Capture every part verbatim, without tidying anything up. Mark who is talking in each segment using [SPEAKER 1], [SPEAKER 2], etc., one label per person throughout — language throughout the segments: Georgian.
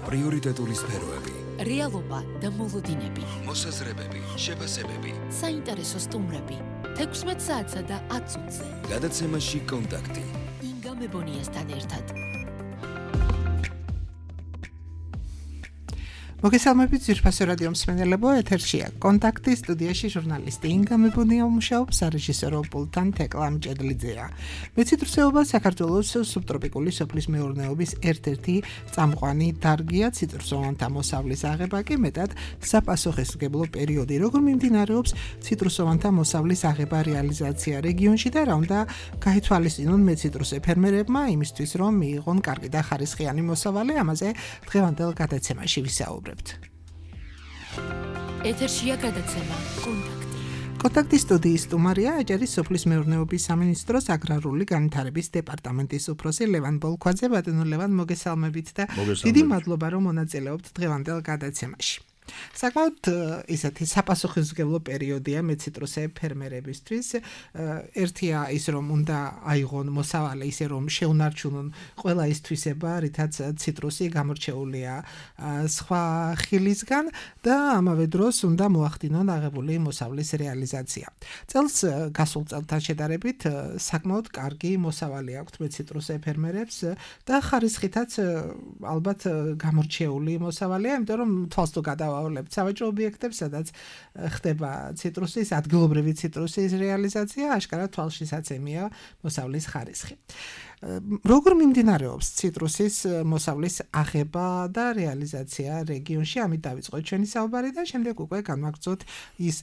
[SPEAKER 1] პრიორიტეტული სფეროები,
[SPEAKER 2] რეალობა და მოლოდინები,
[SPEAKER 1] მოსაზრებები, შეფასებები,
[SPEAKER 2] საინტერესო სტუმრები, თექვსმეტ საათსა და ათ წუთზე.
[SPEAKER 1] გადაცემაში კონტაქტი.
[SPEAKER 2] ინგა მებონიასთან ერთად.
[SPEAKER 3] მოგესალმებით ძვირფასო რადიო მსმენელებო, ეთერშია კონტაქტი, სტუდიაში ჟურნალისტი ინგა მებონია მუშაობს, სარეჟისორო პულტთან თეკლა მჭედლიძეა. მეციტრუსეობა საქართველოს სუბტროპიკული სოფლის მეურნეობის ერთ-ერთი წამყვანი დარგია, ციტრუსოვანთა მოსავლის აღება კი მეტად საპასუხისმგებლო პერიოდი. როგორ მიმდინარეობს ციტრუსოვანთა მოსავლის აღება რეალიზაცია რეგიონში და რა უნდა გაითვალისწინონ მეციტრუსე ფერმერებმა იმისთვის, რომ მიიღონ კარგი და ხარისხიანი მოსავალი, ამაზე დღევანდელ გადაცემაში ვისაუბრებთ.
[SPEAKER 2] ეთერშია გადაცემა კონტაქტი.
[SPEAKER 3] კონტაქტის სტუდიის სტუმარია აჭარის სოფლის მეურნეობის სამინისტროს აგრარული განვითარების დეპარტამენტის უფროსი ლევან ბოლქვაძე. ბატონო ლევან, მოგესალმებით და დიდი მადლობა რომ მონაწილეობთ დღევანდელ გადაცემაში. საკმაოდ ისეთი საპასუხისმგებლო პერიოდია მეციტრუსე ფერმერებისთვის. ერთია ის რომ უნდა აიღონ მოსავალი ისე რომ შეუნარჩუნონ ყველა ის თვისება, რითაც ციტრუსი გამორჩეულია სხვა ხილისგან და ამავე დროს უნდა მოახდინონ აღებული მოსავლის რეალიზაცია. წელს გასულ წელთან შედარებით საკმაოდ კარგი მოსავალი აქვთ მეციტრუსე ფერმერებს და ხარისხითაც ალბათ გამორჩეული მოსავალია, იმიტომ რომ თვალს თუ გადავა სავაჭრო ობიექტებს, სადაც ხდება ციტრუსის, ადგილობრივი ციტრუსის რეალიზაცია, აშკარად თვალშისაცემია მოსავლის ხარისხი. როგორ მიმდინარეობს ციტრუსის მოსავლის აღება და რეალიზაცია რეგიონში? ამით დავიწყოთ ჩვენი საუბარი და შემდეგ უკვე განვაგრძოთ ის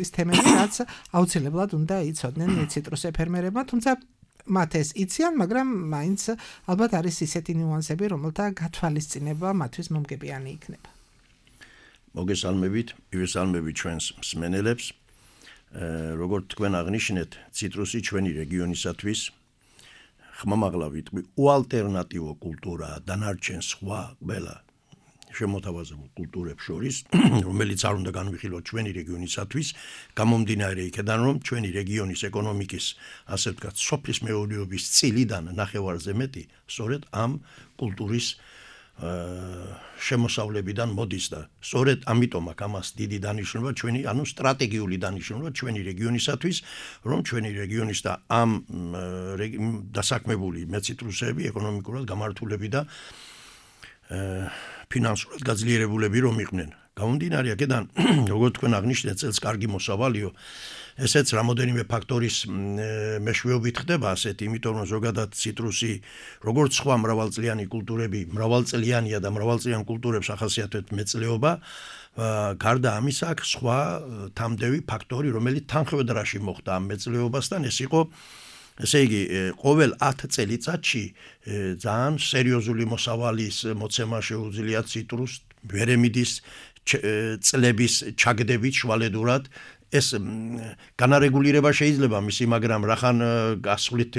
[SPEAKER 3] ის თემები, რაც აუცილებლად უნდა იცოდნენ მეციტრუსე ფერმერებმა, თუმცა მათ ეს იციან, მაგრამ მაინც ალბათ არის ისეთი ნიუანსები, რომელთა გათვალისწინება მათთვის მომგებიანი იქნება.
[SPEAKER 4] მოგესალმებით, მივესალმებით ჩვენს მსმენელებს. როგორც თქვენ აღნიშნეთ, ციტრუსი ჩვენი რეგიონისათვის ხმამაღლა ვიტყვი უალტერნატივო კულტურაა დანარჩენ სხვა ყველა შემოთავაზებულ კულტურებს შორის, რომელიც არ უნდა განვიხილოთ ჩვენი რეგიონისათვის, გამომდინარე იქედან, რომ ჩვენი რეგიონის ეკონომიკის, ასე ვთქვათ, სოფლის მეურნეობის წილიდან ნახევარზე მეტი სწორედ ამ კულტურის შემოსავლებიდან მოდის და სწორედ ამიტომ აქვს ამას დიდი დანიშნულება ჩვენი, ანუ სტრატეგიული დანიშნულება ჩვენი რეგიონისათვის, რომ ჩვენი რეგიონის და ამ დასაქმებული მეციტრუსეები ეკონომიკურად გამართულები და ფინანსურად გაძლიერებულები რომ იყვნენ. გამომდინარე აქედან, როგორც თქვენ აღნიშნეთ, წელს კარგი მოსავალიო, ესეც რამოდენიმე ფაქტორის მეშვეობით ხდება ასეთ, იმიტომ რომ ზოგადად ციტრუსი, როგორც სხვა მრავალწლიანი კულტურები, მრავალწლიანია და მრავალწლიან კულტურებს ახასიათებთ მეწლეობა, გარდა ამისა აქ სხვა თამდევი ფაქტორი, რომელიც თანხმდრაში მოხდა ამ მეწლეობასთან, ეს იყო ესე იგი, ყოველ ათ წელიწადში ძალიან სერიოზული მოსავალის მოცემა შეუძლია ციტრუს, ვერემიდის წლების ჩაგდებით შვალედურად. ეს განარეგულირება შეიძლება მისი, მაგრამ რახან გასვლით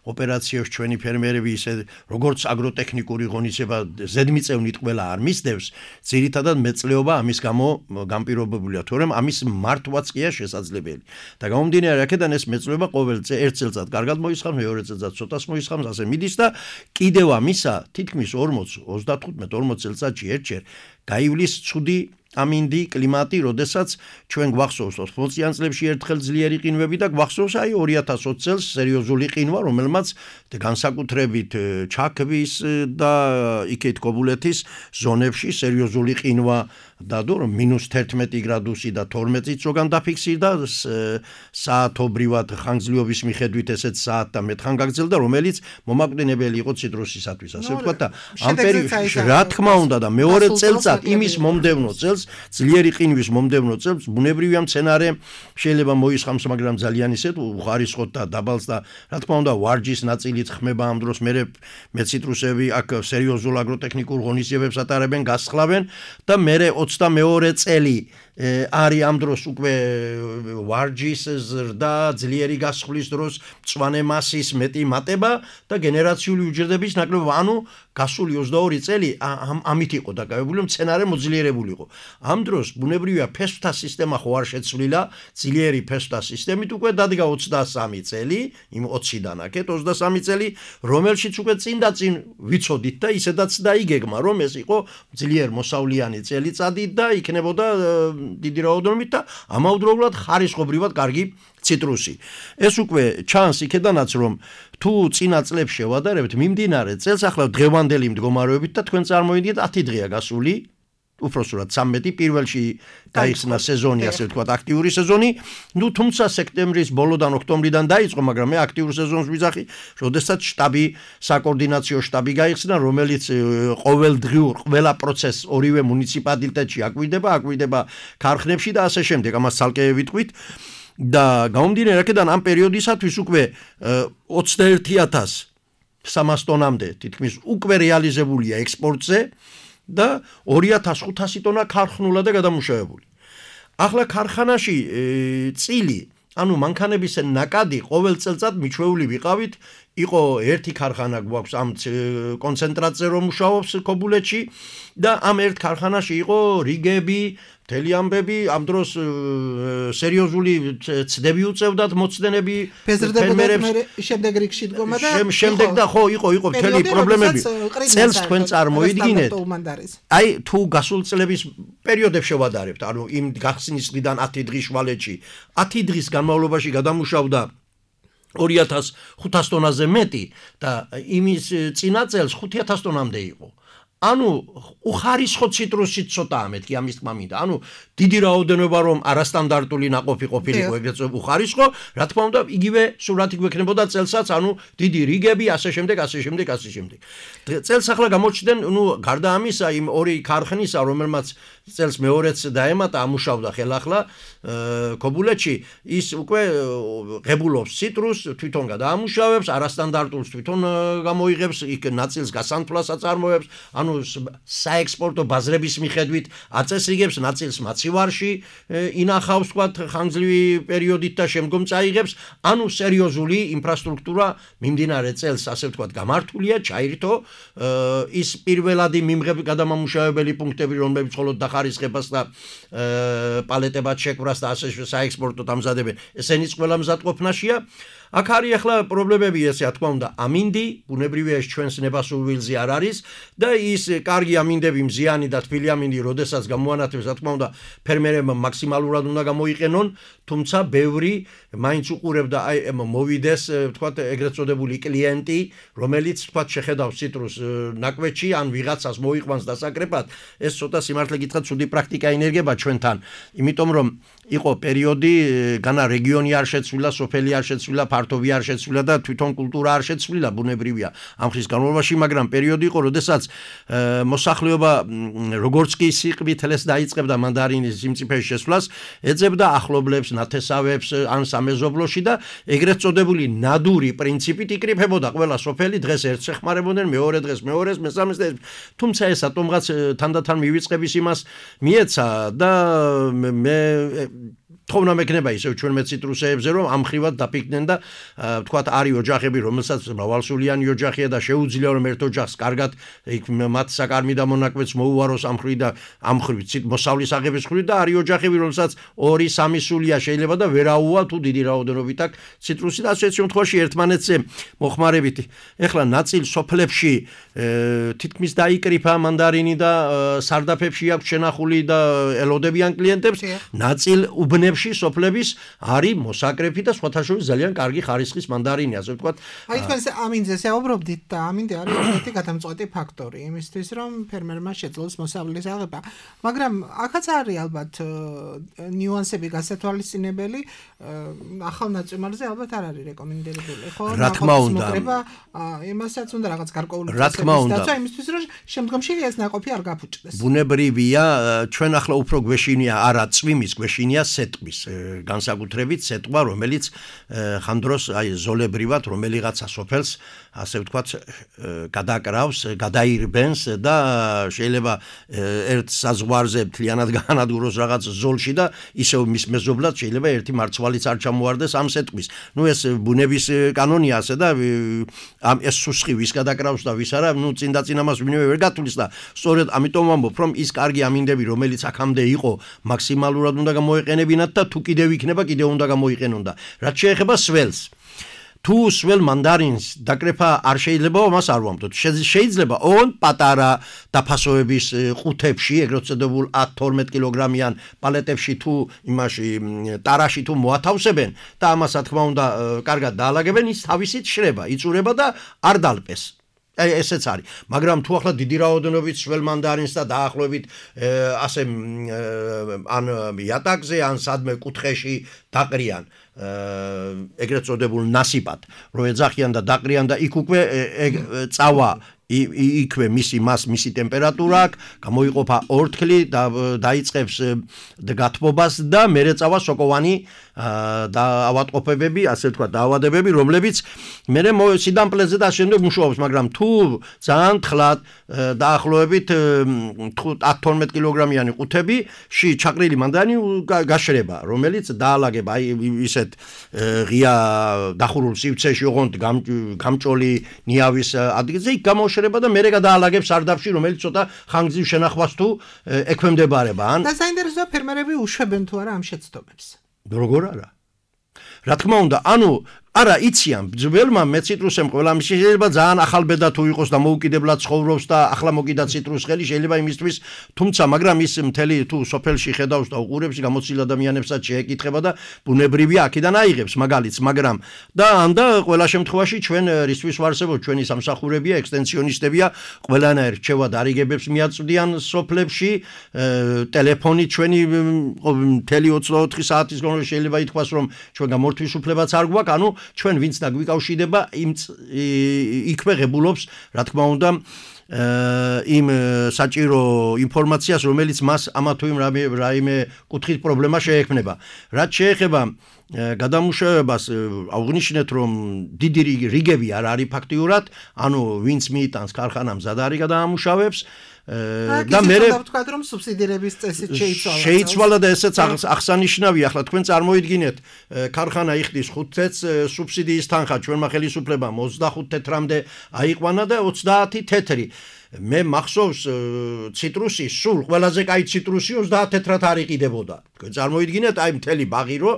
[SPEAKER 4] ოპერაციებს ჩვენი ფერმერები ისე როგორც აგროტექნიკური ღონისება ზედმიწევნით ყველა არ მისდევს, ძირითადად მეწლეობა ამის გამო განპირობებულია, თორემ ამის მართვაც ყია შესაძლებელი. და გამომდინარე აქედან ეს მეწლეობა ყოველ ერთ წელიწად კარგად მოისხამს, მეორე წელიწად ცოტას მოისხამს, ასე მიდის და კიდევ ამისა თითქმის ორმოც, ოცდათხუთმეტ ორმოც წელიწადში ერთჯერ გაივლის ცუდი ამინდი კლიმატი, როდესაც ჩვენ გვახსოვს ოცდაათიან წლებში ერთხელ ძლიერი ყინვები და გვახსოვს აი ორი ათას ოცი წელს სერიოზული ყინვა, რომელმაც განსაკუთრებით ჩაქვის და იქეთ კობულეთის ზონებში სერიოზული ყინვა დადო, რომ მინუს თერთმეტი გრადუსი და თორმეტიც ზოგან დაფიქსირდა საათობრივად ხანგრძლივობის მიხედვით ესეც საათ და მეტ ხან გაგრძელდა, რომელიც მომაკვდინებელი იყო ციტრუსისათვის, ასე ვთქვათ და ამ პერიოდში რა თქმა უნდა და მეორე წელიწად იმის მომდევნო წელს ძლიერი ყინვის მომდევნო წელს ბუნებრივია მცენარე შეიძლება მოისხამს, მაგრამ ძალიან ისეთ უხარისხოთ და დაბალს და რა თქმა უნდა ვარჯის ნაწილიც ხმება ამ დროს, მე მეციტრუსები აქ სერიოზულ აგროტექნიკურ ღონისძიებებს ატარებენ, გასხლავენ და მე ოცდამეორე წელი არის ამ დროს უკვე ვარჯის ზრდა, ძლიერი გასხლის დროს მწვანე მასის მეტი მატება და გენერაციული უჯრედების ნაკლებობა, ანუ გასული ოცდაორი წელი ამით იყო დაკავებული, მცენარე მოძლიერებული იყო. ამ დროს ბუნებრივია ფესვთა სისტემა ხო არ შეცვლილა, ძლიერი ფესვთა სისტემით უკვე დადგა ოცდასამი წელი, იმ ოციდან აქეთ ოცდასამი წელი, რომელშიც უკვე წინ და წინ ვიცოდით და ისედაც დაიგეგმა, რომ ეს იყო ძლიერ მოსავლიანი წელიწადი და იქნებოდა დიდი რაოდენობით და ამავდროულად ხარისხობრივად კარგი ციტრუსი. ეს უკვე ჩანს იქედანაც, რომ თუ წინა წლებს შევადარებთ, მიმდინარე წელს ახლა დღევანდელი მდგომარეობით და თქვენ წარმოიდგინეთ ათი დღეა გასული, უпроსტად ცამეტი პირველში დაიხსნა სეზონი, ასე ვთქვათ, აქტიური სეზონი. ნუ თუმცა სექტემბრის ბოლოდან ოქტომბრიდან დაიწყო, მაგრამ მე აქტიურ სეზონს ვიძახი, როდესაც შტაბი, საკოორდინაციო შტაბი გაიხსნა, რომელიც ყოველდღიურ ყველა პროცესს ორივე მუნიციპალიტეტში აკვირდება, აკვირდება ქარხნებში და ასე შემდეგ. ამას ცალკე ვიტყვით. და გამომდინარე აქედან ამ პერიოდისათვის უკვე ოცდაერთი ათას სამას ტონამდე თითქმის უკვე რეალიზებულია ექსპორტზე და ორი ათას ხუთასი ტონა ქარხნულა და გადამუშავებული. ახლა ქარხანაში წილი, ანუ მანქანების ნაკადი ყოველ წელწად მიჩვეული ვიყავით, იყო ერთი ქარხანა გვაქვს ამ კონცენტრატზე რომ მუშაობს ქობულეთში და ამ ერთ ქარხანაში იყო რიგები, მთელი ამბები, ამ დროს სერიოზული ცდები უწევდათ მოცდენები
[SPEAKER 3] ფერმერებს, შემდეგ რიგში დგომა და
[SPEAKER 4] შემდეგ და ხო იყო იყო მთელი პრობლემები. წელს თქვენ წარმოიდგინეთ, აი თუ გასულ წლების პერიოდებს შევადარებთ, ანუ იმ გახსნის დღიდან ათი დღის შვალეთში, ათი დღის განმავლობაში გადამუშავდა ორი ათას ხუთას ტონაზე მეტი და იმის წინა წელს ხუთი ათას ტონამდე იყო. ანუ უხარისხო ციტრუსი ცოტაა მეთქი ამის თქმა მინდა. ანუ დიდი რაოდენობა რომ არასტანდარტული ნაყოფი ყოფილიყო ეგრეთ უხარისხო, რა თქმა უნდა, იგივე სურათი გვექნებოდა წელსაც, ანუ დიდი რიგები, ასე შემდეგ, ასე შემდეგ, ასე შემდეგ. წელს ახლა გამოჩნდნენ, ნუ გარდა ამისა, იმ ორი ქარხნისა, რომელმაც წელს მეორეც დაემატა, ამუშავდა ხელახლა ქობულეთში, ის უკვე ღებულობს ციტრუსს, თვითონ გადაამუშავებს, არასტანდარტულს თვითონ გამოიღებს, იქ ნაწილს გასანთვლას აწარმოებს, ანუ საექსპორტო ბაზრების მიხედვით აწესრიგებს, ნაწილს მაცივარში ინახავს, თქვათ, ხანგრძლივი პერიოდით და შემდგომ წაიღებს, ანუ სერიოზული ინფრასტრუქტურა მიმდინარე წელს, ასე ვთქვათ, გამართულია, ჩაირთო, ის პირველადი მიმღები გადამამუშავებელი პუნქტები, რომლებიც მხოლოდ დახარისხებას და პალეტებად შეკვრას და ასე საექსპორტო დამზადებენ, ესენიც ყველა მზადყოფნაშია. აქ არის ახლა პრობლემები, ესე რა თქმა უნდა, ამინდი, ბუნებრივია ეს ჩვენს ნებასურ ვილზე არ არის და ის კარგი ამინდები, მზიანი და თბილი ამინდი, როდესაც გამოანათებს, რა თქმა უნდა, ფერმერებმა მაქსიმალურად უნდა გამოიყენონ, თუმცა ბევრი მაინც უყურებდა აი მოვიდეს, ვთქვათ, ეგრეთ წოდებული კლიენტი, რომელიც ვთქვათ შეხედავს ციტრუს ნაკვეთში, ან ვიღაცას მოიყვანს დასაკრეფად, ეს ცოტა სიმართლე გითხრათ, ცუდი პრაქტიკა ინერგება ჩვენთან, იმიტომ რომ იყო პერიოდი, განა რეგიონი არ შეცვლილა, სოფელი არ შეცვლილა, ფართობი არ შეცვლილა და თვითონ კულტურა არ შეცვლილა, ბუნებრივია ამ ხის განმავლობაში, მაგრამ პერიოდი იყო, როდესაც მოსახლეობა როგორც კი სიყრმით ელეს დაიწყებდა მანდარინის სიმწიფეში შესვლას, ეძებდა ახლობლებს, ნათესავებს ან სამეზობლოში და ეგრეთ წოდებული ნადური პრინციპით იკრიფებოდა ყველა სოფელი, დღეს ერთს ეხმარებოდნენ, მეორე დღეს მეორეს, მესამეს და თუმცა ეს ატომღაც თანდათან მივიწყების იმას მიეცა და მე თხოვნა მექნება ისევ ჩვენმე ციტრუსეებზე, რომ ამ ხრივად დაფიქდნენ და ვთქვათ, არის ოჯახები, რომელსაც მრავალსულიანი ოჯახია და შეუძლია რომ ერთ ოჯახს კარგად მათ საკარმი და მონაკვეთს მოუვაროს ამ ხრივ და ამ ხრივ მოსავლის აღების ხრივ და არის ოჯახები, რომელსაც ორი სამი სულია შეიძლება და ვერაუვა თუ დიდი რაოდენობით აქვს ციტრუსი და ასეთ შემთხვევაში ერთმანეთზე მოხმარებით. ეხლა ნაწილ სოფლებში თითქმის დაიკრიფა მანდარინი და სარდაფებში აქვს შენახული და ელოდებიან კლიენტებს, ნაწილ უბნებს სოფლების არის მოსაკრეფი და სხვათა შორის ძალიან კარგი ხარისხის მანდარინი, ასე ვთქვათ.
[SPEAKER 3] აი თქვენ ამინდზე საუბრობდით და ამინდი არის ერთ-ერთი გადამწყვეტი ფაქტორი იმისთვის, რომ ფერმერმა შეძლოს მოსავლის აღება. მაგრამ აქაც არის ალბათ ნიუანსები გასათვალისწინებელი, ახალ ნაწარმოებზე ალბათ არ არის რეკომენდებული, ხო?
[SPEAKER 4] რა თქმა უნდა.
[SPEAKER 3] იმასაც უნდა რაღაც გარკვეული
[SPEAKER 4] წესების
[SPEAKER 3] დაცვა იმისთვის, რომ შემდგომში ეს ნაყოფი არ გაფუჭდეს.
[SPEAKER 4] ბუნებრივია, ჩვენ ახლა უფრო გვეშინია არა წვიმის, გვეშინია სეტყვის. ნიშნის განსაკუთრებით სიტყვა, რომელიც ხანდროს აი ზოლებრივად რომელიღაცა სოფელს ასე ვთქვათ გადაკრავს, გადაირბენს და შეიძლება ერთ საზღვარზე მთლიანად გაანადგუროს რაღაც ზოლში და ისევ მის მეზობლად შეიძლება ერთი მარცვალიც არ ჩამოარდეს ამ სიტყვის. ნუ ეს ბუნების კანონია ასე და ამ ეს სუსხი ვის გადაკრავს და ვის არა, ნუ წინ და წინ ამას ვინმე ვერ გათვლის და სწორედ ამიტომ ვამბობ, რომ ის კარგი ამინდები, რომელიც აქამდე იყო, მაქსიმალურად უნდა გამოეყენებინათ და თუ კიდევ იქნება, კიდევ უნდა გამოიყენონ და რაც შეეხება სველს თუ სվել მანდარინს დაკრეფა არ შეიძლება მას არ ვამბობთ. შეიძლება ოღონდ პატარა დაფასოების ყუთებში, ეგრეთ წოდებულ ათ თორმეტ კილოგრამიან პალეტებში თუ იმაში ტარაში თუ მოათავსებენ და ამას რა თქმა უნდა კარგად დაალაგებენ, ის თავისით შრება, იწურება და არ დალპეს. აი ესეც არის. მაგრამ თუ ახლა დიდი რაოდენობით სվել მანდარინს და დაახლოებით ასე ან იატაკზე, ან სადმე კუთხეში დაყრიან ეგრეთ წოდებულ ნასიპად, რო ეძახიან და დაყრიან და იქ უკვე წავა იქვე მისი მას მისი ტემპერატურა აქვს, გამოიყოფა ორთქლი და დაიწყებს გათბობას და მერე წავა სოკოვანი და ავადმყოფობები, ასე ვთქვათ, დაავადებები, რომლებიც მერე სიდამპლეზე და შემდეგ მუშაობს, მაგრამ თუ ძალიან თხლად დაახლოებით ათ თორმეტ კილოგრამიანი ყუთებში ჩაყრილი მანდარინი გაშრება, რომელიც დაალაგება აი ისეთ ღია დახურულ სივრცეში, ოღონდ გამჭოლი ნიავის ადგილზე იქ გამოშრება და მერე გადაალაგებს სარდაფში, რომელიც ცოტა ხანგრძლივ შენახვას თუ ექვემდებარება. ან
[SPEAKER 3] და საინტერესოა ფერმერები უშვებენ თუ არა ამ შეცდომებს.
[SPEAKER 4] როგორ არა? რა თქმა უნდა, ანუ არა იციან ძველმა მეციტრუსემ ყველა შეიძლება ძალიან ახალბედა თუ იყოს და მოუკიდებლად ცხოვრობს და ახლა მოკიდა ციტრუს ხელი შეიძლება იმისთვის, თუმცა მაგრამ ის მთელი თუ სოფელში ხედავს და უყურებს გამოცდილ ადამიანებსაც შეეკითხება და ბუნებრივია აქედან აიღებს მაგალითს, მაგრამ და ანდა ყველა შემთხვევაში ჩვენ რისთვის ვარსებობთ, ჩვენი სამსახურებია, ექსტენსიონისტებია, ყველანაირ რჩევა დარიგებებს მიაწვდიან სოფლებში, ტელეფონი ჩვენი მთელი ოცდაოთხი საათის განმავლობაში შეიძლება ითქვას, რომ ჩვენ გამორთვის უფლებაც არ გვაქვს, ანუ ჩვენ ვინც დაგვიკავშირდება იმ იქვე ღებულობს, რა თქმა უნდა, იმ საჭირო ინფორმაციას, რომელიც მას ამა თუ იმ რაიმე კუთხით პრობლემა შეექმნება. რაც შეეხება გადამუშავებას, აღნიშნეთ, რომ დიდი რიგები არ არის ფაქტიურად, ანუ ვინც მიიტანს ქარხანამ მზად არის გადაამუშავებს და მე
[SPEAKER 3] ვთქვათ, რომ სუბსიდირების წესით შეიცვალა.
[SPEAKER 4] შეიცვალა და ესეც აღსანიშნავია. ახლა თქვენ წარმოიდგინეთ, ქარხანა იხდის ხუთ თეთრს სუბსიდიის თანხა ჩვენმა ხელისუფლებამ ოცდახუთ თეთრამდე აიყვანა და ოცდაათი თეთრი. მე მახსოვს ციტრუსი, სულ ყველაზე კაი ციტრუსი ოცდაათ თეთრად არ იყიდებოდა. თქვენ წარმოიდგინეთ, აი მთელი ბაღი რო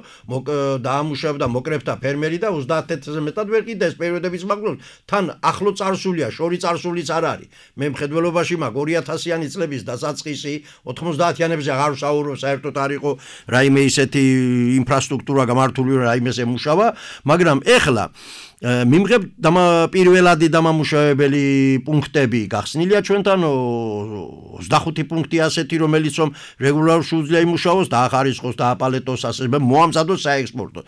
[SPEAKER 4] დაამუშავდა მოკრეფთა ფერმერი და ოცდაათ თეთრზე მეტად ვერ ყიდეს პერიოდების მაგნოს. თან ახლო წარსულია, შორი წარსულიც არ არის. მე მხედველობაში მაგ ორი ათასიანი წლების დასაწყისი ოთხმოცდაათიანებზე აღარ ვსაუბრობ, საერთოდ არ იყო რაიმე ისეთი ინფრასტრუქტურა გამართული, რაიმეს ემუშავა, მაგრამ ეხლა მიმღებ პირველადი დამამუშავებელი პუნქტები გახსნილია ჩვენთან ოცდახუთი პუნქტი ასეთი, რომელიც რომ რეგულარულად შეუძლია იმუშაოს და ახარისხოს და აპალეტოს ასე მოამზადოს საექსპორტო.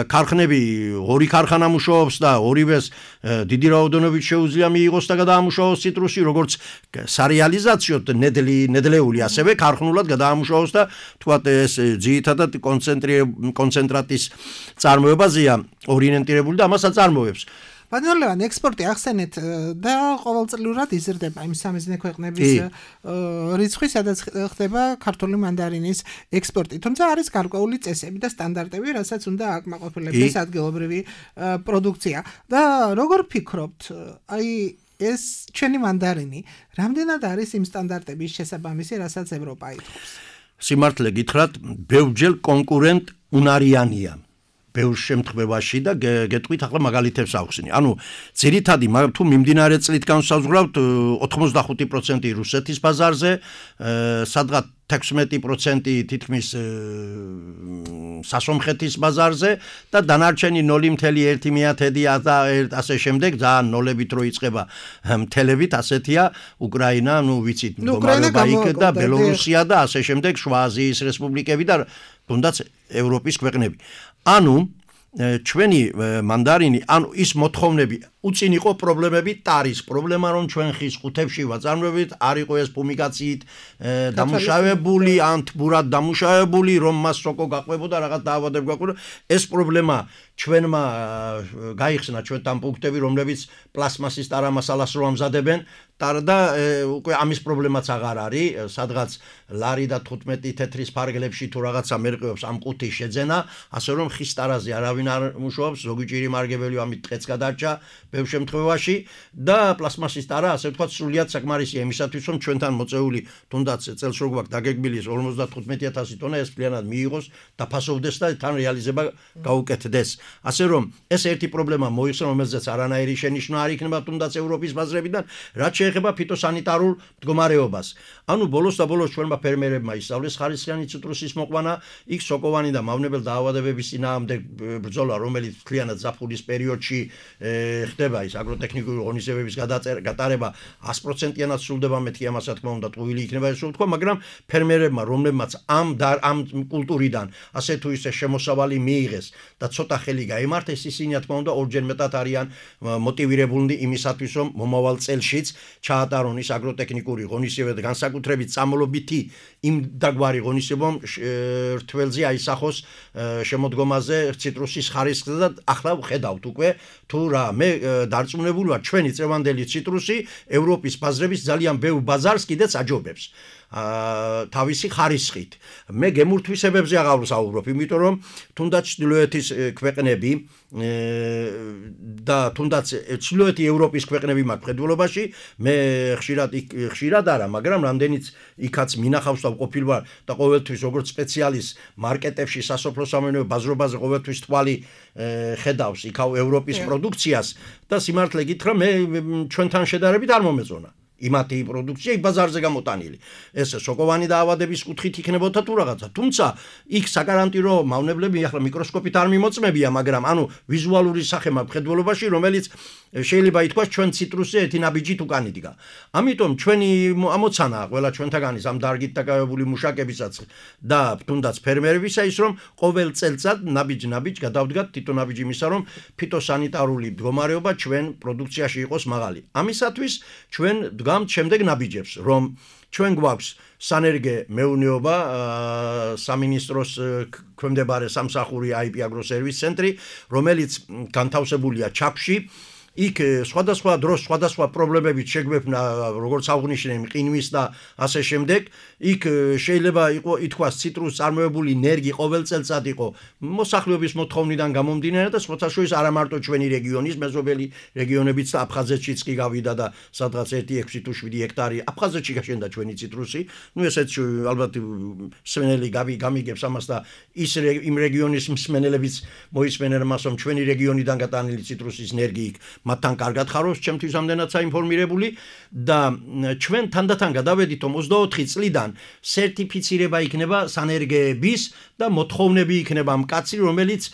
[SPEAKER 4] ქარხნები ორი ქარხანა მუშაობს და ორივეს დიდი რაოდენობით შეუძლია მიიღოს და გადაამუშავოს ციტრუსი, როგორც სარეალიზაციოდ ნედლი ნედლეული ასევე ქარხნულად გადაამუშავოს და თქვათ ეს ძირითადად კონცენტრატის წარმოებაზეა ორიენტირებული და ამასაც წარმოებს.
[SPEAKER 3] ბატონო, ექსპორტი ახსენეთ და ყოველწლიურად იზრდება იმ სამიზნე ქვეყნების რიცხვი, სადაც ხდება ქართული მანდარინის ექსპორტი. თუმცა არის გარკვეული წესები და სტანდარტები, რასაც უნდა აკმაყოფილების ადგილობრივი პროდუქცია. და როგორ ფიქრობთ, აი ეს ჩვენი მანდარინი რამდენად არის იმ სტანდარტების შესაბამისი, რასაც ევროპა ითხოვს?
[SPEAKER 4] სიმართლე გითხრათ, ბევრჯერ კონკურენტ უნარიანია. ბევრ შემთხვევაში და გეტყვით ახლა მაგალითებს ავხსნი. ანუ ძირითადი თუ მიმდინარე წლით განსაზღვრავთ ოთხმოცდახუთი პროცენტი რუსეთის ბაზარზე, სადღაც თექვსმეტი პროცენტი თითქმის სასომხეთის ბაზარზე და დანარჩენი ნული მეთერთი ერთი და ასე შემდეგ, ძალიან ნოლებით რო იწყება მთელებით, ასეთია უკრაინა, ნუ ვიცით, მდგომარეობა იქ და ბელორუსია და ასე შემდეგ, შუა აზიის რესპუბლიკები და თუნდაც ევროპის ქვეყნები. ანუ ჩვენი მანდარინი, ანუ ის მოთხოვნები უწინ იყო პრობლემები ტარის პრობლემა რომ ჩვენ ხის ყუთებში ვაწარმოებით არ იყო ეს ფუმიგაციით დამუშავებული ან თბურად დამუშავებული რომ მას სოკო გაყვებოდა რაღაც დაავადება გაყვებოდა ეს პრობლემა ჩვენმა გაიხსნა ჩვენთან პუნქტები რომლებიც პლასმასის ტარამასალას რო ამზადებენ და უკვე ამის პრობლემაც აღარ არის სადღაც ლარი და თხუთმეტი თეთრის ფარგლებში თუ რაღაცა მერყეობს ამ ყუთის შეძენა ასე რომ ხის ტარაზე არავინ არ მუშაობს ზოგი ჭირი მარგებელი ამით დღეც გადარჩა ბევრ შემთხვევაში და პლასმასის ტარა ასე ვთქვათ სრულიად საკმარისია იმისათვის რომ ჩვენთან მოწეული თუნდაც წელს რო გვაქვს დაგეგმილი ორმოცდათხუთმეტი ათასი ტონა ეს ფლიანად მიიღოს დაფასოვდეს და თან რეალიზება გაუკეთდეს ასე რომ ეს ერთი პრობლემა მოიხსნა რომელზეც არანაირი შენიშვნა არ იქნება თუნდაც ევროპის ბაზრებიდან რაც შეეხება ფიტოსანიტარულ მდგომარეობას ანუ ბოლოს და ბოლოს ჩვენმა ფერმერებმა ისწავლეს ხარისხიანი ციტრუსის მოყვანა იქ სოკოვანი და მავნებელ დაავადებების წინააღმდეგ ბრძოლა რომელიც მთლიანად ზაფხულის პერიოდში ხდება ის აგროტექნიკური ღონისძიებების გატარება ას პროცენტიანად სრულდება მეთქი ამას რა თქმა უნდა ტყუილი იქნება ეს ვთქვა მაგრამ ფერმერებმა რომლებმაც ამ ამ კულტურიდან ასე თუ ისე შემოსავალი მიიღეს და ცოტა ხელი გაიმართეს ისინი რა თქმა უნდა ორჯერ მეტად არიან მოტივირებულნი იმისათვის რომ მომავალ წელშიც ჩაატარონ ის აგროტექნიკური ღონისძიება და განსაკუთრებით წამლობითი იმ დაგვარი ღონისძიებამ რთველზე აისახოს შემოდგომაზე ციტრუსის ხარისხზე და ახლა ვხედავთ უკვე თუ რა მე დარწმუნებული ვარ ჩვენი წევანდელი ციტრუსი ევროპის ბაზრების ძალიან ბევრ ბაზარს კიდეც აჯობებს თავისი ხარისხით მე გემურთვისებებზე აღარ ვსაუბრობ იმიტომ რომ თუნდაც ჩრდილოეთის ქვეყნები და თუნდაც ჩრდილოეთი ევროპის ქვეყნები მაქვს მხედველობაში მე ხშირად ხშირად არა მაგრამ რამდენიც იქაც მინახავს და ყოფილ ვარ და ყოველთვის როგორც სპეციალისტ მარკეტებში სასოფლო-სამეურნეო ბაზრობაზე ყოველთვის თვალი ხედავს იქაო ევროპის პროდუქციას და სიმართლე გითხრა მე ჩვენთან შედარებით არ მომეწონა იმათი პროდუქცია იქ ბაზარზე გამოტანილი ეს სოკოვანი დაავადების კუთხით იქნებოდა თუ რაღაცა თუმცა იქ საკარანტინო მავნებლები ახლა მიკროსკოპით არ მიმოწმებია მაგრამ ანუ ვიზუალური სახე მაქვს მხედველობაში რომელიც შეიძლება ითქვას ჩვენ ციტრუსზე ერთი ნაბიჯით უკან იდგა ამიტომ ჩვენი ამოცანაა ყველა ჩვენთაგანის ამ დარგით დაკავებული მუშაკებისაც და თუნდაც ფერმერებისა ის რომ ყოველ წელწად ნაბიჯ-ნაბიჯ გადავდგათ თითო ნაბიჯი იმისა რომ ფიტოსანიტარული მდგომარეობა ჩვენ პროდუქციაში იყოს მაღალი ამისათვის ჩვენ დგამთ შემდეგ ნაბიჯებს რომ ჩვენ გვაქვს სანერგე მეურნეობა სამინისტროს ქვემდებარე სამსახური აი პი აგროსერვის ცენტრი რომელიც განთავსებულია ჩაფში იქ სხვადასხვა დროს სხვადასხვა პრობლემებით შეგვეფნა როგორც აღნიშნე მყინვის და ასე შემდეგ იქ შეიძლება იყო ითქვას ციტრუსს წარმოებული ნერგი ყოველ წელწად იყო მოსახლეობის მოთხოვნიდან გამომდინარე და სხვათაშორის არა მარტო ჩვენი რეგიონის მეზობელი რეგიონებიც და აფხაზეთშიც კი გავიდა და სადღაც ერთი ექვსი თუ შვიდი ჰექტარი აფხაზეთში გაშენდა ჩვენი ციტრუსი ნუ ესეც ალბათ მსმენელი გამიგებს ამას და ის იმ რეგიონის მსმენელებიც მოისმენენ მას რომ ჩვენი რეგიონიდან გატანილი ციტრუსის ნერგი იქ მათთან კარგად ხარობს ჩემთვის ამდენად საინფორმირებული და ჩვენ თანდათან გადავედით ოცდაოთხი წლიდან სერტიფიცირება იქნება სანერგეების და მოთხოვნები იქნება მკაცრი რომელიც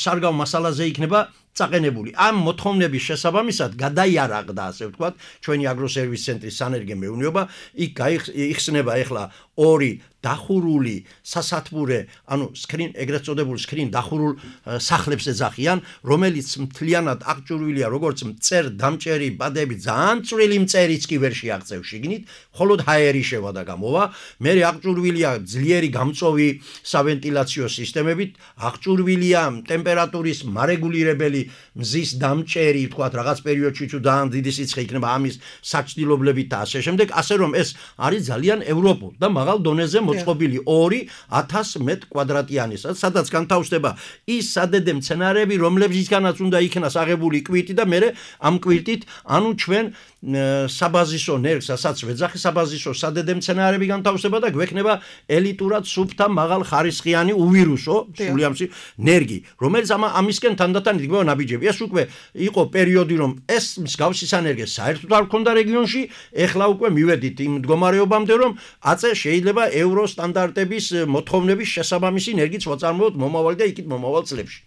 [SPEAKER 4] სარგავ მასალაზე იქნება წაყენებული ამ მოთხოვნების შესაბამისად გადაიარაღდა ასე ვთქვათ ჩვენი აგროსერვის ცენტრის სანერგე მეურნეობა იქ გაიხსნება ახლა ორი დახურული სასათბურე ანუ სკრინ ეგრეთ წოდებული სკრინ დახურულ სახლებს ეძახიან რომელიც მთლიანად აღჭურვილია როგორც მწერ დამჭერი ბადები ძალიან წვრილი მწერიც კი ვერ შეაღწევს შიგნით მხოლოდ ჰაერი შევა და გამოვა მე აღჭურვილია ძლიერი გამწოვი სავენტილაციო სისტემებით აღჭურვილია ტემპერატურის მარეგულირებელი მზის დამჭერი თქვათ რაღაც პერიოდში თუ ძალიან დიდი სიცხე იქნება ამის საჭდილობლებით და ასე შემდეგ ასე რომ ეს არის ძალიან ევროპულ და მაღალ დონეზე მოწყობილი ორი ათას მეტრ კვადრატიანი სადაც განთავსდება ის სადედე მცენარეები რომლებისგანაც უნდა იქნას აღებული კვირტი და მე ამ კვირტით ანუ ჩვენ საბაზისო ნერგს ასაც ვეძახი საბაზისო სადედე მცენარეები განთავსდება და გვექნება ელიტურად სუფთა მაღალ ხარისხიანი უვირუსო სულიამსი ნერგი რომელიც ამისკენ თანდათან იდგება ნაბიჯები ეს უკვე იყო პერიოდი რომ ეს მსგავსი სანერგე საერთოდ არ ქონდა რეგიონში ეხლა უკვე მივედით იმ მდგომარეობამდე რომ აწე შეიძლება ევრო სტანდარტების მოთხოვნების შესაბამისი ნერგიც ვაწარმოოთ მომავალი და იქით მომავალ წლებში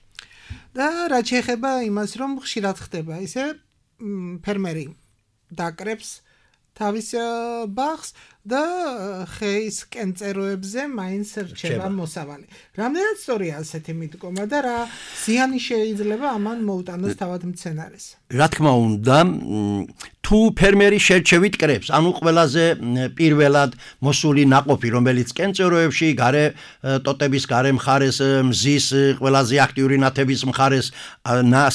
[SPEAKER 3] და რა შეეხება იმას რომ ხშირად ხდება ისე ფერმერი დაკრებს თავის ბაღს და ხეის კენწეროებზე მაინც რჩება მოსავალი. რამდენად სწორია ასეთი მიდგომა და რა ზიანი შეიძლება ამან მოუტანოს თავად მცენარეს?
[SPEAKER 4] რა თქმა უნდა, თუ ფერმერი შერჩევით კრებს, ანუ ყველაზე პირველად მოსული ნაყოფი, რომელიც კენწეროებში, გარე ტოტების გარე მხარეს, მზის ყველაზე აქტიური ნათების მხარეს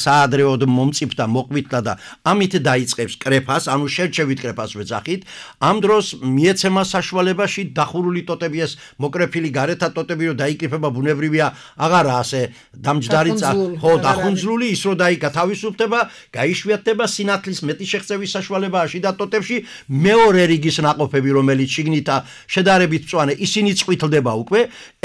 [SPEAKER 4] საადრეოდ მომწიფდა, მოყვითდა და ამით დაიწყებს კრეფას, ანუ შერჩევით კრეფას ვეძახით, ამ დროს მიეცემა საშუალებაში დახურული ტოტები ეს მოკრეფილი გარეთა ტოტები რომ დაიკრიფება ბუნებრივია, აღარა ასე დამჯდარი ხო დახუნძლული ის რომ დაიკა თავისუფლდება, გაიშვიათდება სინათლის მეტი შეღწევის საშუალებაა შიდა ტოტებში მეორე რიგის ნაყოფები რომელიც შიგნითა შედარებით მწვანე ისინი წვითლდება უკვე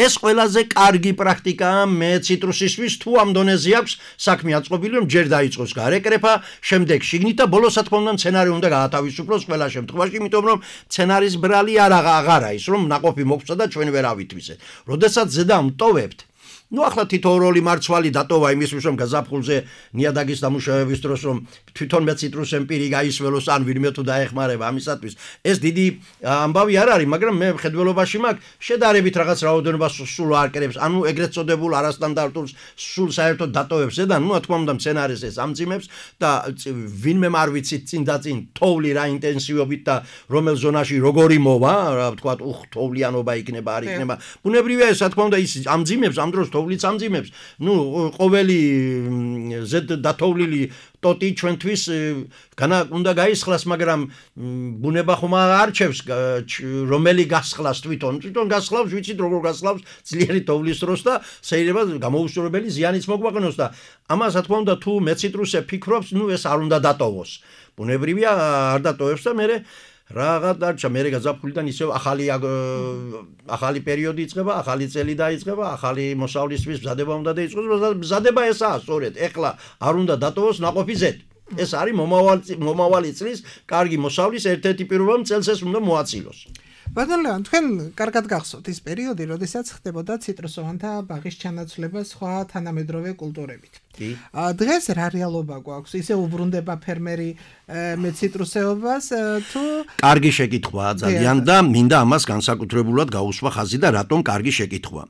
[SPEAKER 4] ეს ყველაზე კარგი პრაქტიკაა მე ციტრუსისთვის თუ ამ დონეზე აქვს საქმე აწყობილი რომ ჯერ დაიწყოს გარეკრეფა შემდეგ შიგნით და ბოლოს რა თქმა უნდა მცენარე უნდა გაათავისუფლოს ყველა შემთხვევაში იმიტომ რომ მცენარის ბრალი არ აღარა ის რომ ნაყოფი მოგვცა და ჩვენ ვერ ავითვისეთ როდესაც ზედა მტოვებთ Ну, ახლა თითოეული მარცვალი დატოვა იმისთვის, რომ გაზაფხულზე ნიადაგის დამუშავების დროს რომ თვითონ მე ციტრუსემ პირი გაისველოს ან ვინმე თუ დაეხმარება ამისათვის. ეს დიდი ამბავი არ არის, მაგრამ მე მხედველობაში მაქვს შედარებით რაღაც რაოდენობას სულ არკერებს, ანუ ეგრეთ წოდებულ არასტანდარტულ სულ საერთოდ დატოვებს ზედან, ну, რა თქმა უნდა, მცენარეს ეს ამძიმებს და ვინმე არ ვიცით წინ და წინ თოვლი რა ინტენსივობით და რომელ ზონაში როგორი მოვა, რა ვთქვა, უხ, თოვლიანობა იქნება, არ იქნება. ბუნებრივია ეს, რა თქმა უნდა, ის ამძიმებს ამ დროს თოვლიც ამძიმებს. ნუ ყოველი ზედ დათოვლილი ტოტი ჩვენთვის განა უნდა გაისხლას, მაგრამ ბუნება ხომ არჩევს რომელი გასხლას თვითონ. თვითონ გასხლავს, ვიცით როგორ გასხლავს ძლიერი თოვლის დროს და შეიძლება გამოუსწორებელი ზიანიც მოგვაყენოს და ამას რა თქმა უნდა თუ მე ციტრუსე ფიქრობს, ნუ ეს არ უნდა დატოვოს. ბუნებრივია არ დატოვებს და მე Raga darcha mere gazაფხულიდან ისევ ახალი ახალი პერიოდი იწყება, ახალი წელი დაიწყება, ახალი მოსავლისთვის მზადება უნდა დაიწყოს, მზადება ესაა სწორედ. ეხლა არ უნდა დატოვოს ნაყოფი ზედ. ეს არის მომავალი მომავალი წლის კარგი მოსავლის ერთ-ერთი პირველი წელს ეს უნდა მოაწილოს.
[SPEAKER 3] ბატონ ლევან, თქვენ კარგად გახსოვთ ის პერიოდი, როდესაც ხდებოდა ციტრუსოვანთა ბაღის ჩანაცვლება სხვა თანამედროვე კულტურებით. დღეს რა რეალობა გვაქვს? ისე უბრუნდება ფერმერი მე ციტრუსეობას თუ
[SPEAKER 4] კარგი შეკითხვაა ძალიან და მინდა ამას განსაკუთრებულად გაუსვა ხაზი და რატომ კარგი შეკითხვა.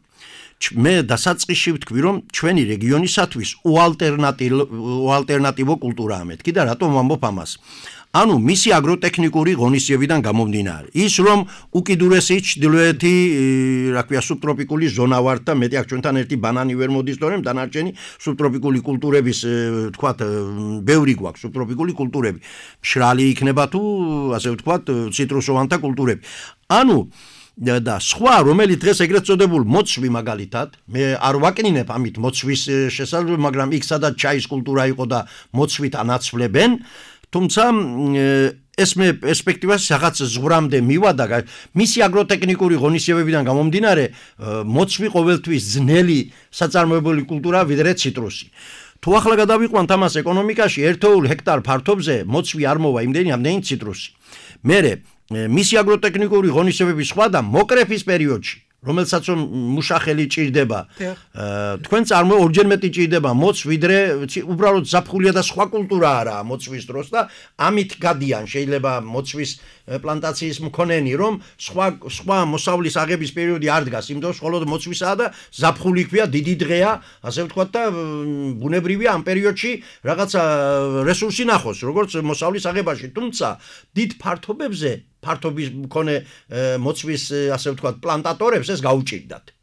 [SPEAKER 4] მე დასაწყისში ვთქვი რომ ჩვენი რეგიონისათვის უალტერნატივო უალტერნატივო კულტურაა მეთქი და რატომ ვამბობ ამას. ანუ მისი აგროტექნიკური ღონისძიებიდან გამომდინარე. ის რომ უკიდურესი ჩრდილოეთი, რა ქვია, სუბტროპიკული ზონა ვართ და მეტი აქ ჩვენთან ერთი ბანანი ვერ მოდის, თორემ დანარჩენი სუბტროპიკული კულტურების, ვთქვათ, ბევრი გვაქვს სუბტროპიკული კულტურები. მშრალი იქნება თუ, ასე ვთქვათ, ციტრუსოვანთა კულტურები. ანუ და სხვა რომელიც დღეს ეგრეთ წოდებულ მოცვი მაგალითად მე არ ვაკნინებ ამით მოცვის შესაძლებლობა მაგრამ იქ სადაც ჩაის კულტურა იყო და მოცვით ანაცვლებენ თუმცა ეს მე პერსპექტივას რაღაც ზღვრამდე მივადა მისი აგროტექნიკური ღონისძიებებიდან გამომდინარე მოცვი ყოველთვის ძნელი საწარმოებელი კულტურა ვიდრე ციტრუსი თუ ახლა გადავიყვანთ ამას ეკონომიკაში ერთეულ ჰექტარ ფართობზე მოცვი არ მოვა იმდენი ამდენი ციტრუსი მერე მისი აგროტექნიკური ღონისძიებების სხვა და მოკრეფის პერიოდში რომელსაც მუშახელი ჭირდება თქვენ წარმო ორჯერ მეტი ჭირდება მოც ვიდრე უბრალოდ ზაფხულია და სხვა კულტურა არაა მოწვის დროს და ამით გადიან შეიძლება მოწვის პლანტაციის მქონენი რომ სხვა სხვა მოსავლის აღების პერიოდი არ დგას იმ დროს მხოლოდ მოწვისაა და ზაფხული ქვია დიდი დღეა ასე ვთქვათ და ბუნებრივია ამ პერიოდში რაღაცა რესურსი ნახოს როგორც მოსავლის აღებაში თუმცა დიდ ფართობებზე ფართობის მქონე მოწვის ასე ვთქვათ პლანტატორებს ეს გაუჭირდათ.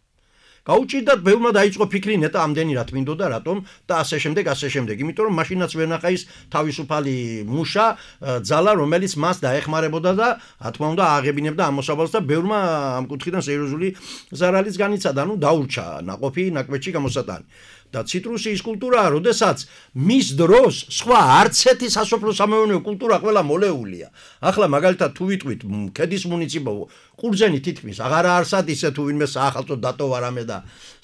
[SPEAKER 4] გაუჭირდათ ბევრმა დაიწყო ფიქრი ნეტა ამდენი რა თმინდოდა რატომ და ასე შემდეგ ასე შემდეგ. იმიტომ რომ მაშინაც ვერ ნახა ის თავისუფალი მუშა ძალა რომელიც მას დაეხმარებოდა და რა თქმა უნდა აღებინებდა ამ მოსავალს და ბევრმა ამ კუთხიდან სერიოზული ზარალიც განიცადა. ანუ დაურჩა ნაყოფი ნაკვეთში გამოსატანი. და ციტრუსის კულტურაა, როდესაც მის დროს სხვა არც ერთი სასოფლო სამეურნეო კულტურა ყველა მოლეულია. ახლა მაგალითად თუ ვიტყვით ქედის მუნიციპალო ყურძენი თითქმის აღარა არსად ისე თუ ვინმე საახალწლო დატოვა რამე და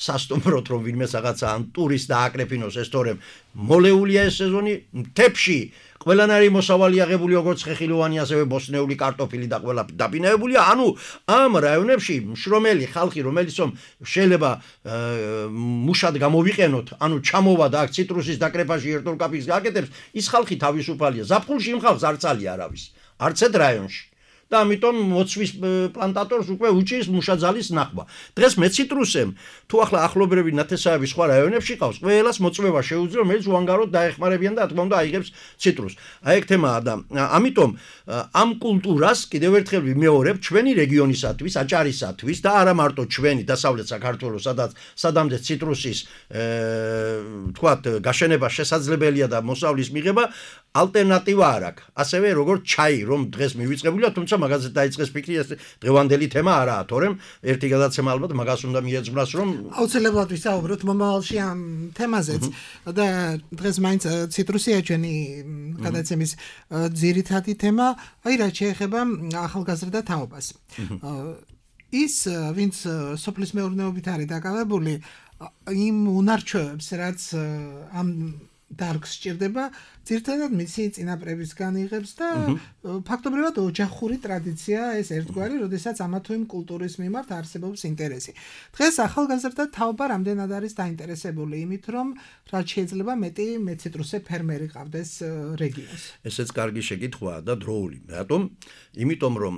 [SPEAKER 4] სასტუმროთ რომ ვინმე რაღაცა ან ტურისტ დააკრეფინოს ეს თორემ მოლეულია ეს სეზონი მთებში ყველანაირი მოსავალი აღებული როგორც ხეხილოვანი ასევე ბოსნეული კარტოფილი და ყველა დაბინავებულია ანუ ამ რაიონებში მშრომელი ხალხი რომელიც რომ შეიძლება მუშად გამოვიყენოთ ანუ ჩამოვა და აქ ციტრუსის დაკრეფაში ერთულ კაფის გააკეთებს ის ხალხი თავისუფალია ზაფხულში იმ ხალხს არ წალია არავის არც ერთ რაიონში და ამიტომ მოცვის პლანტატორს უკვე უჭირს მუშაძალის ნახვა. დღეს მეციტრუსემ თუ ახლა ახლობლები ნათესავები სხვა რაიონებში ყავს, ყველას მოწვევა შეუძლია, რომელიც უანგაროდ დაეხმარებიან და რა თქმა უნდა აიღებს ციტრუსს. აი ეგ თემაა და ამიტომ ამ კულტურას კიდევ ერთხელ ვიმეორებ ჩვენი რეგიონისათვის, აჭარისათვის და არა მარტო ჩვენი დასავლეთ საქართველოს, სადაც სადამდე ციტრუსის თქვათ გაშენება შესაძლებელია და მოსავლის მიღება ალტერნატივა არ აქვს. ასევე როგორც ჩაი, რომ დღეს მივიწყებულია, თუმცა მაგაზე დაიწყეს ფიქრი, ეს დღევანდელი თემა არაა, თორემ ერთი გადაცემა ალბათ მაგას უნდა მიეძღვნას, რომ
[SPEAKER 3] აუცილებლად ვისაუბროთ მომავალში ამ თემაზეც და დღეს მაინც ციტრუსია ჩვენი გადაცემის ძირითადი თემა, აი რაც შეეხება ახალგაზრდა თაობას. ის ვინც სოფლის მეურნეობით არის დაკავებული, იმ უნარჩვევებს, რაც ამ დარგს სჭირდება, ძირითადად მისი წინაპრებისგან იღებს და ფაქტობრივად ოჯახური ტრადიცია ეს ერთგვარი, როდესაც ამა თუ იმ კულტურის მიმართ არსებობს ინტერესი. დღეს ახალგაზრდა თაობა რამდენად არის დაინტერესებული იმით, რომ რაც შეიძლება მეტი მეციტრუსე ფერმერი ყავდეს რეგიონს.
[SPEAKER 4] ესეც კარგი შეკითხვაა და დროული. რატომ? იმიტომ რომ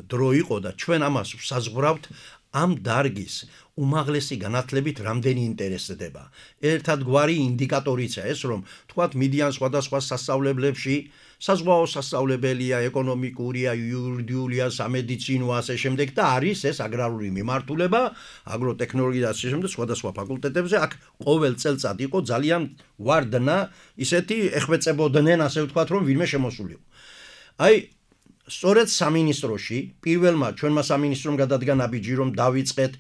[SPEAKER 4] დრო იყო და ჩვენ ამას საზღვრავთ ამ დარგის უმაღლესი განათლებით რამდენი ინტერესდება. ერთადგვარი ინდიკატორიცაა ეს, რომ თქვათ მიდიან სხვადასხვა სასწავლებლებში, საზღვაო სასწავლებელია, ეკონომიკურია, იურიდიულია, სამედიცინო, ასე შემდეგ და არის ეს აგრარული მიმართულება, აგროტექნოლოგია და ასე შემდეგ სხვადასხვა ფაკულტეტებზე. აქ ყოველ წელწად იყო ძალიან ვარდნა, ისეთი ეხვეწებოდნენ, ასე ვთქვათ, რომ ვინმე შემოსულიყო. აი სწორედ სამინისტროში პირველმა ჩვენმა სამინისტრომ გადადგა ნაბიჯი რომ დავიწყეთ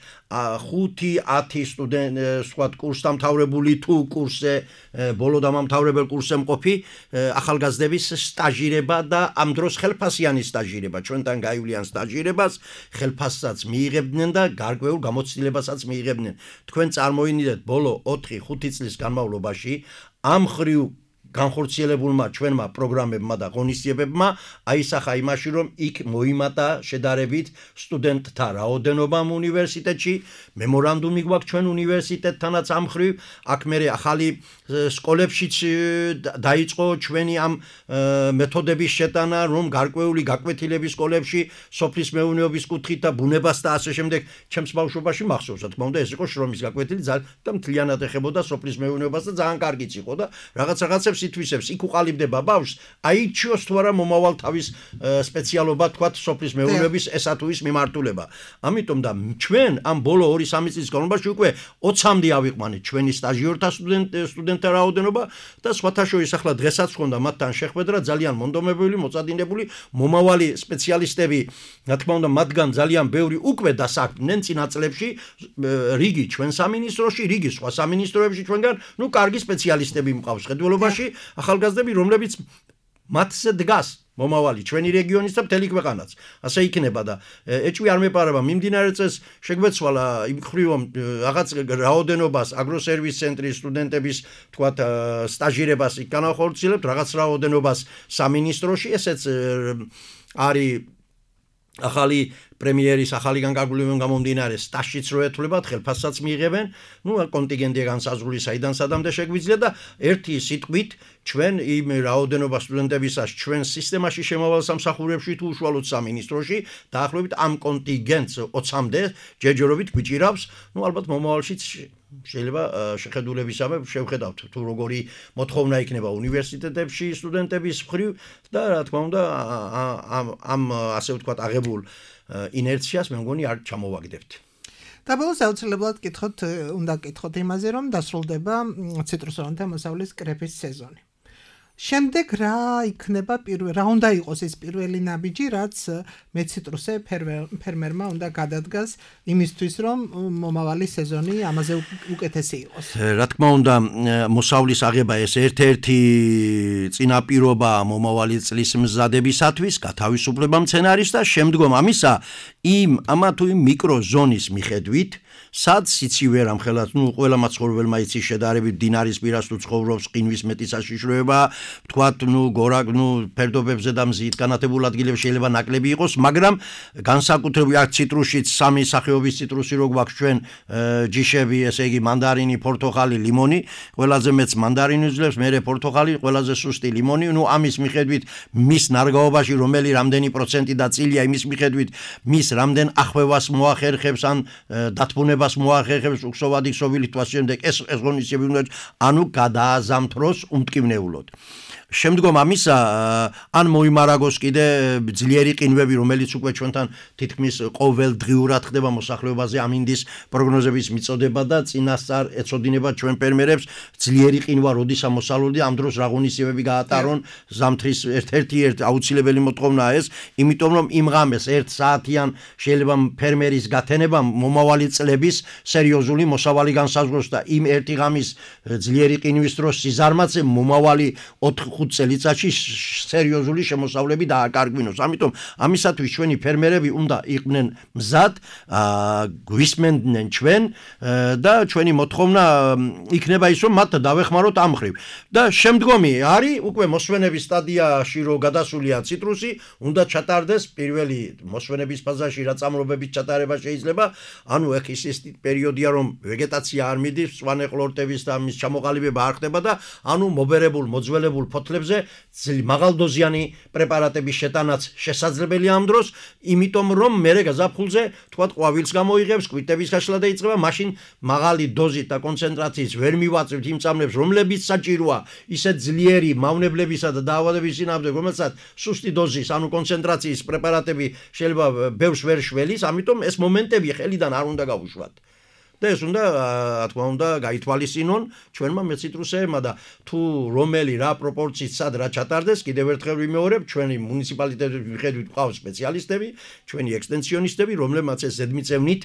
[SPEAKER 4] ხუთი ათი სტუდენტ სხვათ კურსდამთავრებული თუ კურსზე ბოლო დამამთავრებელ კურსზე მყოფი ახალგაზრდების სტაჟირება და ამ დროს ხელფასიანი სტაჟირება ჩვენთან გაივლიან სტაჟირებას ხელფასსაც მიიღებდნენ და გარკვეულ გამოცდილებასაც მიიღებდნენ. თქვენ წარმოიდგინეთ ბოლო ოთხი ხუთი წლის განმავლობაში ამ ხრივ განხორციელებულმა ჩვენმა პროგრამებმა და ღონისძიებებმა აისახა იმაში, რომ იქ მოიმატა შედარებით სტუდენტთა რაოდენობა უნივერსიტეტში, მემორანდუმი გვაქვს ჩვენ უნივერსიტეტთანაც ამ ხრივ, აქ მერე ახალი სკოლებშიც დაიწყო ჩვენი ამ მეთოდების შეტანა, რომ გარკვეული გაკვეთილების სკოლებში სოფლის მეურნეობის კუთხით და ბუნებას და ასე შემდეგ, ჩემს ბავშვობაში მახსოვს, რა თქმა უნდა, ეს იყო შრომის გაკვეთილი და მთლიანად ეხებოდა სოფლის მეურნეობას და ძალიან კარგიც იყო და რაღაც რაღაცებს ითვისებს, იქ უყალიბდება ბავშვს, აიჩიოს თუ არა მომავალ თავის სპეციალობა, თქვათ, სოფლის მეურნეობის ესა თუ ის მიმართულება. ამიტომ და ჩვენ ამ ბოლო ორი სამი წლის განმავლობაში უკვე ოცამდე ავიყვანეთ ჩვენი სტაჟიორთა სტუდენტთა რაოდენობა და სხვათა შორის ახლა დღესაც ხონდა მათთან შეხვედრა, ძალიან მონდომებული, მოწადინებული, მომავალი სპეციალისტები, რა თქმა უნდა, მათგან ძალიან ბევრი უკვე დასაქმდნენ წინა წლებში, რიგი ჩვენ სამინისტროში, რიგი სხვა სამინისტროებში ჩვენგან, ნუ კარგი სპეციალისტები მყავს ხედველობაში ახალგაზრდები, რომლებიც მათზე დგას მომავალი ჩვენი რეგიონის და მთელი ქვეყანაც. ასე იქნება და ეჭვი არ მეპარება მიმდინარე წელს შეგვეცვალა იმ ხრივ რაღაც რაოდენობას აგროსერვის ცენტრის სტუდენტების თქვათ სტაჟირებას იქ განახორციელებთ, რაღაც რაოდენობას სამინისტროში, ესეც არის ახალი პრემიერის ახალი განკარგულებიდან გამომდინარე სტაჟშიც რო ეთვლებათ, ხელფასსაც მიიღებენ, ნუ კონტინგენტია განსაზღვრული საიდან სადამდე შეგვიძლია და ერთი სიტყვით ჩვენ იმ რაოდენობა სტუდენტებისას ჩვენ სისტემაში შემავალ სამსახურებში თუ უშუალოდ სამინისტროში დაახლოებით ამ კონტინგენტს ოცამდე ჯერჯერობით გვიჭირავს, ნუ ალბათ მომავალშიც შეიძლება შეხედულებისამე შევხედავთ თუ როგორი მოთხოვნა იქნება უნივერსიტეტებში სტუდენტების მხრივ და რა თქმა უნდა ამ ასე ვთქვათ აღებულ ინერციას მე მგონი არ ჩამოვაგდებთ.
[SPEAKER 3] და ბოლოს აუცილებლად კითხოთ, უნდა კითხოთ იმაზე, რომ დასრულდება ციტრუსოვანთა მოსავლის კრეფის სეზონი. შემდეგ რა იქნება პირველ რა უნდა იყოს ეს პირველი ნაბიჯი, რაც მეციტრუსე ფერმერმა უნდა გადადგას იმისთვის, რომ მომავალი სეზონი ამაზე უკეთესი იყოს.
[SPEAKER 4] რა თქმა უნდა, მოსავლის აღება ეს ერთ-ერთი წინაპირობა მომავალი წლის მზადებისათვის, გათავისუფლება მცენარის და შემდგომ ამისა იმ ამა თუ იმ მიკროზონის მიხედვით, სად სიცივე რამხელაც, ნუ ყველა მაცხოვრებელმა იცის შედარებით დინარის პირას თუ ცხოვრობს, ყინვის მეტი საშიშროება, თქვათ, ნუ გორაკ, ნუ ფერდობებზე და მზით განათებულ ადგილებში შეიძლება ნაკლები იყოს, მაგრამ განსაკუთრებით აქ ციტრუსშიც სამი სახეობის ციტრუსი რო გვაქვს ჩვენ ჯიშები, ესე იგი მანდარინი, პორტოხალი, ლიმონი, ყველაზე მეც მანდარინი ძლევს, მერე პორტოხალი, ყველაზე სუსტი ლიმონი, ნუ ამის მიხედვით მის ნარგავობაში რომელი რამდენი პროცენტი და წილია იმის მიხედვით მის რამდენ ახვევას მოახერხებს ან დათბუნებას მოახერხებს უხსოვადი ქსოვილი თვალს შემდეგ ეს ეს ღონისძიებები უნდა ანუ გადააზამთროს უმტკივნეულოდ. შემდგომ ამისა ან მოიმარაგოს კიდე ძლიერი ყინვები, რომელიც უკვე ჩვენთან თითქმის ყოველდღიურად ხდება მოსახლეობაზე ამინდის პროგნოზების მიწოდება და წინასწარ ეცოდინება ჩვენ ფერმერებს ძლიერი ყინვა როდის ამოსალოდია ამ დროს რა ღონისძიებები გაატარონ ზამთრის ერთ-ერთი ერთ აუცილებელი მოთხოვნაა ეს, იმიტომ რომ იმ ღამეს ერთ საათიან შეიძლება ფერმერის გათენება მომავალი წლების სერიოზული მოსავალი განსაზღვროს და იმ ერთი ღამის ძლიერი ყინვის დროს სიზარმაცე მომავალი ოთხ ხუთ წელიწადში სერიოზული შემოსავლები დააკარგვინოს. ამიტომ ამისათვის ჩვენი ფერმერები უნდა იყვნენ მზად, გვისმენდნენ ჩვენ და ჩვენი მოთხოვნა იქნება ის, რომ მათ დავეხმაროთ ამ ხრივ. და შემდგომი არის უკვე მოსვენების სტადიაში რო გადასულია ციტრუსი, უნდა ჩატარდეს პირველი მოსვენების ფაზაში რა წამლობების ჩატარება შეიძლება, ანუ ეხ ის ის პერიოდია რომ ვეგეტაცია არ მიდის, სვანე ყლორტების და მის ჩამოყალიბება არ ხდება და ანუ მობერებულ მოძველებულ ფოთლებზე მაღალდოზიანი პრეპარატების შეტანაც შესაძლებელია ამ დროს, იმიტომ რომ მერე გაზაფხულზე თქვათ ყვავილს გამოიღებს, კვირტების გაშლა დაიწყება, მაშინ მაღალი დოზით და კონცენტრაციით ვერ მივაწევთ იმ წამლებს, რომლებიც საჭიროა ისეთ ძლიერი მავნებლებისა და დაავადების წინააღმდეგ, რომელსაც სუსტი დოზის, ანუ კონცენტრაციის პრეპარატები შეიძლება ბევრს ვერ შველის, ამიტომ ეს მომენტები ხელიდან არ უნდა გავუშვათ. და ეს უნდა, რა თქმა უნდა, გაითვალისწინონ ჩვენმა მეციტრუსეებმა და თუ რომელი რა პროპორციით სად რა ჩატარდეს, კიდევ ერთხელ ვიმეორებ, ჩვენი მუნიციპალიტეტების მიხედვით ყავს სპეციალისტები, ჩვენი ექსტენსიონისტები, რომლებმაც ეს ზედმიწევნით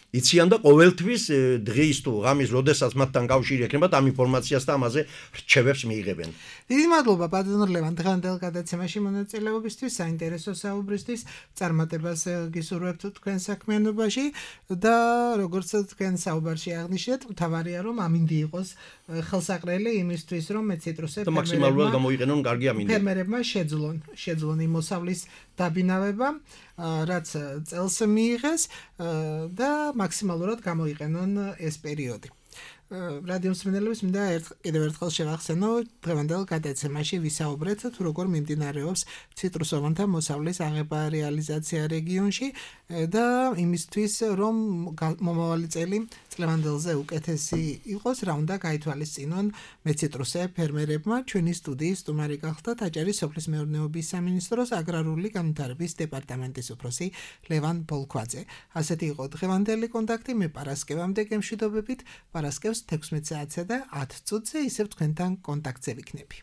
[SPEAKER 4] იციან და ყოველთვის დღის თუ ღამის როდესაც მათთან კავშირი ექნებათ ამ ინფორმაციას და ამაზე რჩევებს მიიღებენ.
[SPEAKER 3] დიდი მადლობა ბატონო ლევან დღევანდელ გადაცემაში მონაწილეობისთვის, საინტერესო საუბრისთვის, წარმატებას გისურვებთ თქვენ საქმიანობაში და როგორც თქვენ საუბარში აღნიშნეთ, მთავარია რომ ამინდი იყოს ხელსაყრელი იმისთვის, რომ მეციტრუსები
[SPEAKER 4] მაქსიმალურად გამოიყენონ კარგი ამინდი.
[SPEAKER 3] ფერმერებმა შეძლონ, შეძლონ იმ მოსავლის დაბინავება, რაც წელს მიიღეს და მაქსიმალურად გამოიყენონ ეს პერიოდი. რადიო მსმენელებს მინდა კიდევ ერთხელ შევახსენო, დღევანდელ გადაცემაში ვისაუბრეთ თუ როგორ მიმდინარეობს ციტრუსოვანთა მოსავლის აღება რეალიზაცია რეგიონში და იმისთვის რომ მომავალი წელი წლევანდელზე უკეთესი იყოს, რა უნდა გაითვალისწინონ მეციტრუსე ფერმერებმა. ჩვენი სტუდიის სტუმარი გახდა ტაჯარის სოფლის მეურნეობის სამინისტროს აგრარული განვითარების დეპარტამენტის უფროსი ლევან ბოლქვაძე. ასეთი იყო დღევანდელი კონტაქტი, მე პარასკევამდე გემშვიდობებით, პარასკევს თექვსმეტ საათსა და ათ წუთზე ისევ თქვენთან კონტაქტზე ვიქნები.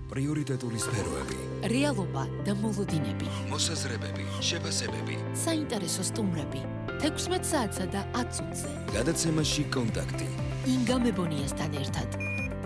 [SPEAKER 1] პრიორიტეტული სფეროები,
[SPEAKER 2] რეალობა და მოლოდინები,
[SPEAKER 1] მოსაზრებები, შეფასებები,
[SPEAKER 2] საინტერესო სტუმრები, თექვსმეტ საათსა და ათ წუთზე.
[SPEAKER 1] გადაცემაში კონტაქტი.
[SPEAKER 2] ინგა მებონიასთან ერთად.